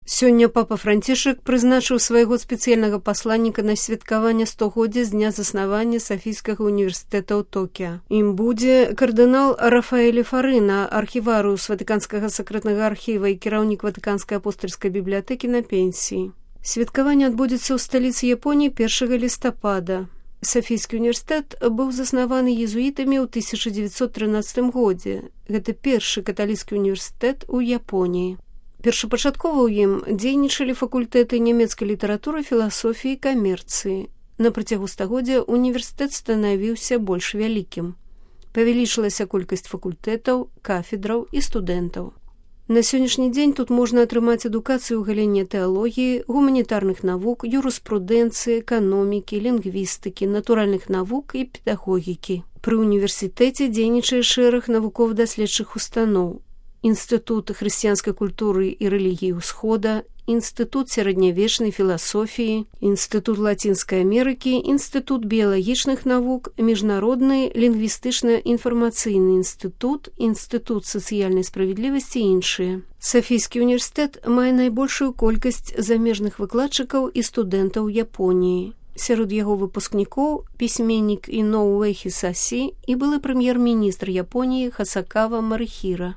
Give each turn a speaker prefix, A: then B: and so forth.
A: Сёння папа Францішак прызначыў свайго спецыяльнага пасланніка на святкаванне 100-годдзя з дня заснавання Сафійскага універсітэта ў Токіа. Ім будзе кардынал Рафаэль Фарына, архіварыус Ватыканскага сакрэтнага архіва і кіраўнік Ватыканскай апостальскай бібліятэкі на пенсіі. Святкаванне адбудзецца ў сталіцы Японіі 1 лістапада. Сафійскі універсітэт быў заснаваны езуітамі ў 1913 годзе. Гэта першы каталіцкі універсітэт у Японіі. Першапачаткова ў ім дзейнічалі факультэты нямецкай літаратуры, філасофіі і камерцыі. На працягу стагоддзя універсітэт станавіўся больш вялікім. Павялічылася колькасць факультэтаў, кафедраў і студэнтаў. На сённяшні дзень тут можна атрымаць адукацыю ў галіне тэалогіі, гуманітарных навук, юрыспрудэнцыі, эканомікі, лінгвістыкі, натуральных навук і педагогікі. Пры універсітэце дзейнічае шэраг навукова-даследчых устаноў. Інстытут хрысціянскай культуры і рэлігіі ўсхода, Інстытут сярэднявечнай філасофіі, Інстытут Лацінскай Амерыкі, Інстытут біялагічных навук, Міжнародны лінгвістычна-інфармацыйны інстытут, Інстытут сацыяльнай справядлівасці і іншыя. Сафійскі універсітэт мае найбольшую колькасць замежных выкладчыкаў і студэнтаў Японіі. Сярод яго выпускнікоў пісьменнік Іноуэ Хісасі і былы прэм'ер-міністр Японіі Хасакава Марыхіра.